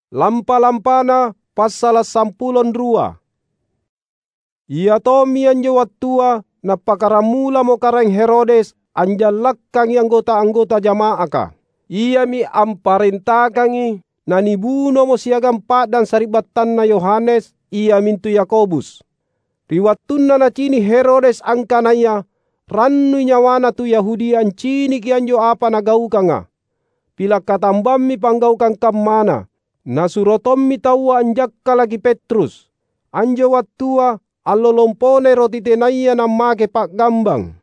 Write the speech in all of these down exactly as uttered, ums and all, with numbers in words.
Lampa-lampana passala’ sampulo rua. Ia tommi anjo wattua nappakkaramulamo Karaeng Herodes anjallakkangi anggota-anggota jama'aka. Iami amparentakangi nanibunomo siagang pa'dang sari'battanna Yohanes, iamintu Yakobus. Ri wattunna nacini’ Herodes angkanaya rannui nyawana tu Yahudia anciniki anjo apa nagaukanga, pila’ katambammi panggaukang kammana. Nasuro tommi taua anjakkalaki Petrus. Anjo wattua allo lomponai roti tenaya nammake pa'gambang.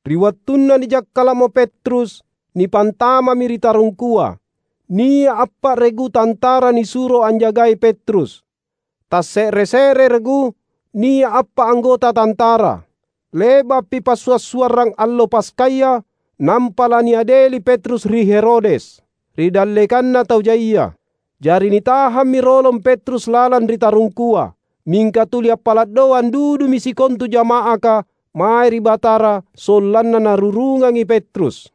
Ri wattunna nijakkala'mo Petrus, nipantamami ri tarungkua. Nia’ appa'reku tantara nisuro anjagai Petrus. Tasse're-se're regu, nia’ appa’ anggota tantara. Le'ba'pi passua’-suarrang allo Paskaya, nampa laniadeli Petrus ri Herodes, ri dallekanna tau jaia. Jari nitahammi rolong Petrus lalang ri tarungkua. Mingka tuli appala’ doang dudumi sikontu jama'aka mae ri Batara sollanna narurungangi Petrus.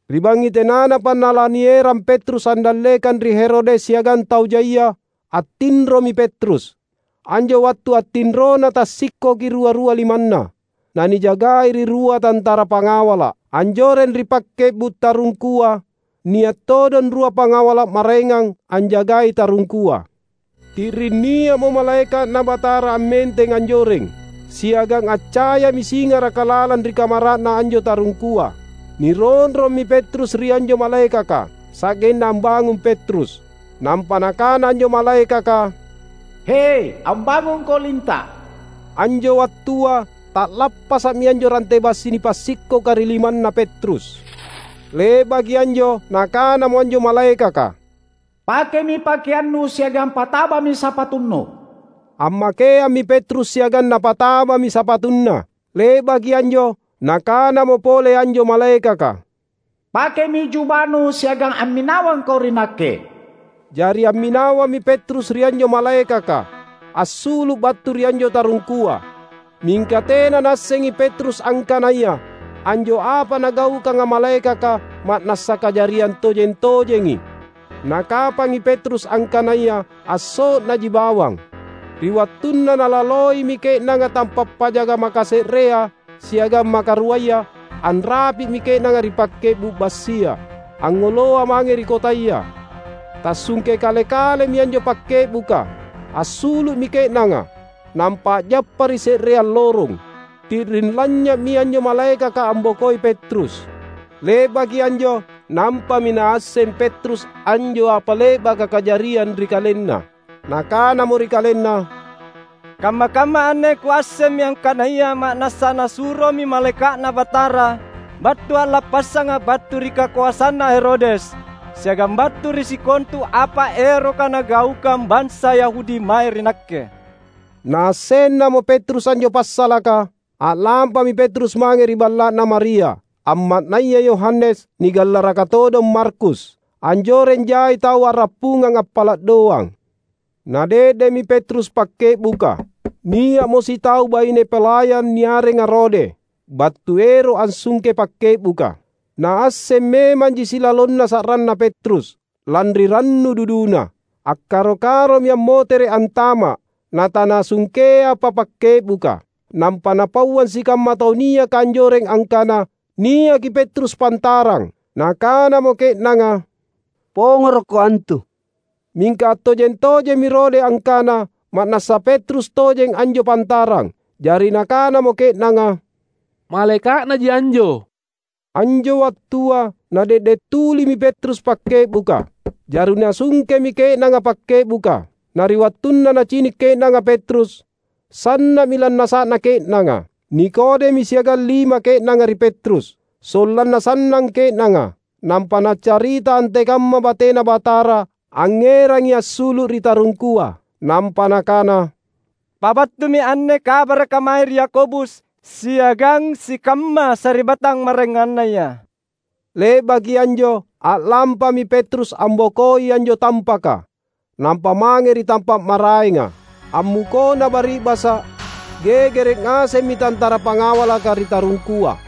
Ri bangngi tenanapa nalanierang Petrus andallekang ri Herodes siagang tau jaia, attinromi Petrus. Anjo wattu attinrona tassikkoki rua-rua limanna, nanijagai ri rua tantara pangawala’. Anjoreng ri pakke'bu’ tarungkua, nia’ todong rua pangawala’ maraengang anjagai tarungkua. Ti'ring nia'mo malaeka'Na Batara ammenteng anjoreng, siagang accayami singaraka lalang ri kamara'na anjo tarungkua. Nironrommi Petrus ri anjo malaekaka, sa'genna ambangung Petrus. Nampa nakana anjo malaekaka, "He, ambangungko linta’!" Anjo wattua ta'lappasa'mi anjo rante bassi nipassikkoka ri limanna Petrus. Le'baki anjo nakanamo anjo malaekaka, "Pakemi pakeannu siagang patabami sapatunnu." Ammakeammi Petrus siagang napatabami sapatunna. Le'baki anjo nakanamo pole anjo malaekaka, "Pakemi jubanu siagang amminawangko ri nakke." Jari amminawammi Petrus ri anjo malaekaka, assulu’ battu ri anjo tarungkua. Mingka tena naassengi Petrus angkanaya anjo apa nagaukanga malaekaka ma'nassa kajariang tojeng-tojengi. Nakapangi Petrus angkanaya asso'naji bawang. Ri wattunna nalaloimi ke'nanga tampa’ pajaga makase'rea siagang makaruaya, anrapi'mi ke'nanga ri pakke'bu’ bassia, angngoloa mange ri kotaya. Tassungke kale-kalemi anjo pakke'buka, assulu'mi ke'nanga, nampa a'jappa ri se'reang lorong. Ti'ring lanynya'mi anjo malaekaka ambokoi Petrus. Le'baki anjo, nampami naasseng Petrus anjo apa le'baka kajariang ri kalenna. Nakanamo ri kalenna, "Kamma-kamma anne kuassemmi angkanaya ma'nassa Nasuromi malaeka'Na Batara battu a'lappassanga battu ri kakoasanna Herodes, siagang battu ri sikontu apa eroka nagaukang bansa Yahudi mae ri nakke." Naassennamo Petrus anjo passalaka, a'lampami Petrus mange ri balla'na Maria, amma'naya Yohanes, nigallaraka todong Markus. Anjoreng jai tau a'rappungang appala’ doang. Nade'de'mi Petrus pakke'buka. Nia'mo sitau baine palayang niarenga Rode, battu ero’ ansungke pakke'buka. Naasseng memanji silalonna sa'ranna Petrus, lanri rannu duduna. Akkaro-karomi ammotere’ antama’, natanasungkeapa pakke'buka. Nampa napauang sikamma tau niaka anjoreng angkana niaki Petrus pantarang. Nakanamo ke'nanga, "Pongorokko antu." Mingka attojeng-tojemmi Rode angkana ma'nassa Petrus tojeng anjo pantarang. Jari nakanamo ke'nanga, "Malaeka'naji anjo." Anjo wattua nade'de’ tulimi Petrus pakke'buka. Jari nasungkemi ke'nanga pakke'buka. Na ri wattunna nacini’ ke'nanga Petrus, sanna'mi lannasa'na ke'nanga. Nikodemi siagang lima ke'nanga ri Petrus, sollanna sannang ke'nanga. Nampa naccarita antekamma batena Batara angngerangi assulu’ ri tarungkua. Nampa nakana, "Pabattumi anne kabaraka mae ri Yakobus siagang sikamma sari'battang maraengannaya." Le'baki anjo, a'lampami Petrus ambokoi anjo tampaka, nampa mange ri tampa’ maraenga. Ammukona bari'basa’, gegere’ ngasemmi tantara pangawalaka ri tarungkua.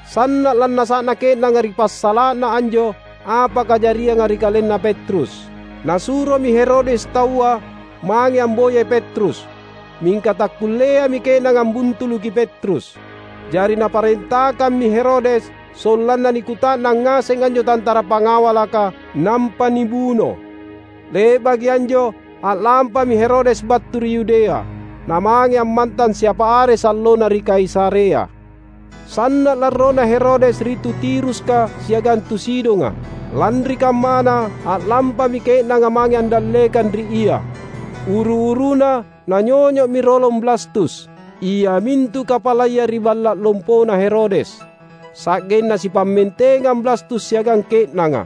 Sanna’ lannasa'na ke'nanga ri passala'na anjo apa kajarianga ri kalenna Petrus. Nasuromi Herodes taua mange amboyai Petrus, mingka takkulleami ke'nanga ambuntuluki Petrus. Jari naparentakammi Herodes sollanna nikuta'nang ngaseng anjo tantara pangawalaka, nampa nibuno. Le'baki anjo, a'lampami Herodes battu ri Yudea, namange ammantang siapa are sallona ri Kaisarea. Sanna’ larrona Herodes ri tu Tiruska siagang tu Sidonga. Lanri kammana, a'lampami ke'nanga mange andallekang ri ia. Uru-uruna nanyonyo'mi rolong Blastus, iamintu kapalaya ri balla’ lompona Herodes, sa'genna sipammentengang Blastus siagang ke'nanga.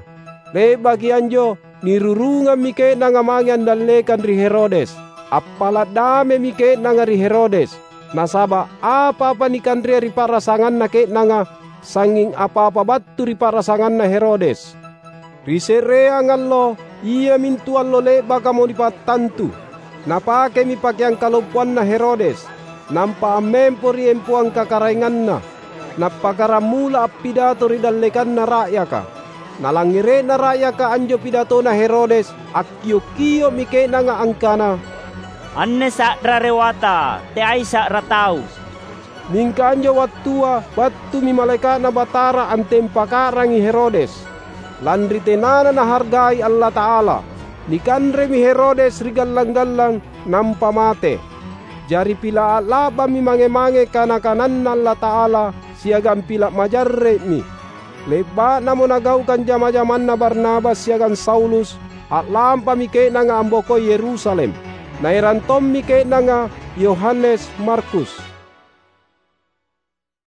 Le'baki anjo, nirurungammi ke'nanga mange andallekang ri Herodes. Appala’ damemi ke'nanga ri Herodes, nasaba’ apa-apa nikanrea ri pa'rasanganna ke'nanga, sangnging apa-apa battu ri pa'rasanganna Herodes. Ri se'reang allo, iamintu allo le'bakamo nipattantu, napakemi pakeang kalompoanna Herodes, nampa ammempo ri empoang kakaraenganna. Nappakkaramula appidato ri dallekanna ra'yaka. Nalangngere'na ra'yaka anjo pidatona Herodes, akkio’-kio'mi ke'nanga angkana, "Anne sa'ra rewata, teai sa'ra tau!" Mingka anjo wattua battumi malaeka'Na Batara antempaka'rangi Herodes, lanri tenana nahargai Allata'ala. Nikanremi Herodes ri gallang-gallang, nampa mate. Jari pila’ a'la'bammi mange-mange kana-kananNa Allata'ala siagang pila’ majarre'mi. Le'ba'namo nagaukang jama-jamanna Barnabas siagang Saulus, a'lampami ke'nanga ambokoi Yerusalem. Naerang tommi ke'nanga Yohanes Markus.